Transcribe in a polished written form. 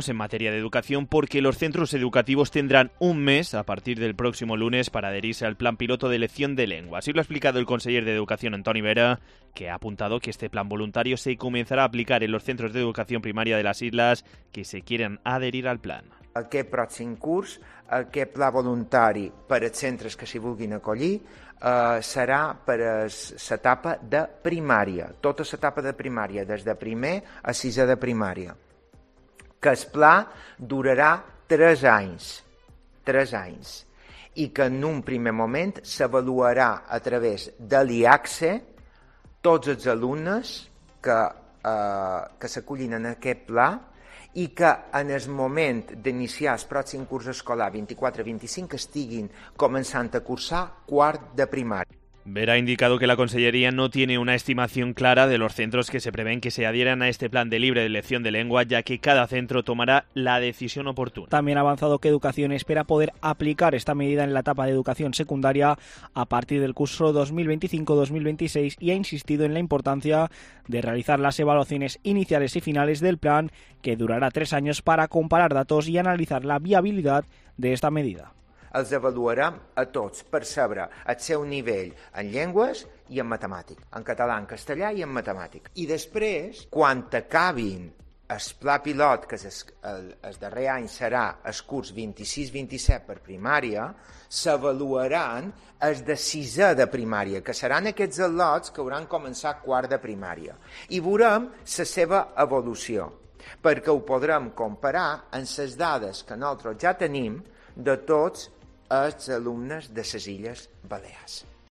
en materia de educación porque los centros educativos tendrán un mes a partir del próximo lunes para adherirse al plan piloto de elección de lengua. Así lo ha explicado el conseller de Educación, Antoni Vera, que ha apuntado que este plan voluntario se comenzarà a aplicar en los centros de educación primaria de las islas que se quieran adherir al plan. Aquest pròxim curs, aquest pla voluntari per als centres que s'hi vulguin acollir serà per a l'etapa de primària, tota l'etapa de primària, des de primer a sisè de primària. Que el pla durarà 3 anys, i que en un primer moment s'avaluarà a través de l'IACSE tots els alumnes que s'acullin en aquest pla i que en el moment d'iniciar el pròxim curs escolar 24-25 estiguin començant a cursar quart de primària. Vera ha indicado que la Consellería no tiene una estimación clara de los centros que se prevén que se adhieran a este plan de libre elección de lengua, ya que cada centro tomará la decisión oportuna. También ha avanzado que Educación espera poder aplicar esta medida en la etapa de educación secundaria a partir del curso 2025-2026 y ha insistido en la importancia de realizar las evaluaciones iniciales y finales del plan, que durará 3 años, para comparar datos y analizar la viabilidad de esta medida. Els avaluarem a tots per saber el seu nivell en llengües i en matemàtic, en català, en castellà i en matemàtic. I després, quan acabin el pla pilot, que el darrer any serà el curs 26-27 per primària, s'avaluaran els de sisè de primària, que seran aquests al·lots que hauran començat quart de primària. I veurem la seva evolució, perquè ho podrem comparar amb les dades que nosaltres ja tenim de tots els alumnes de les Illes Balears.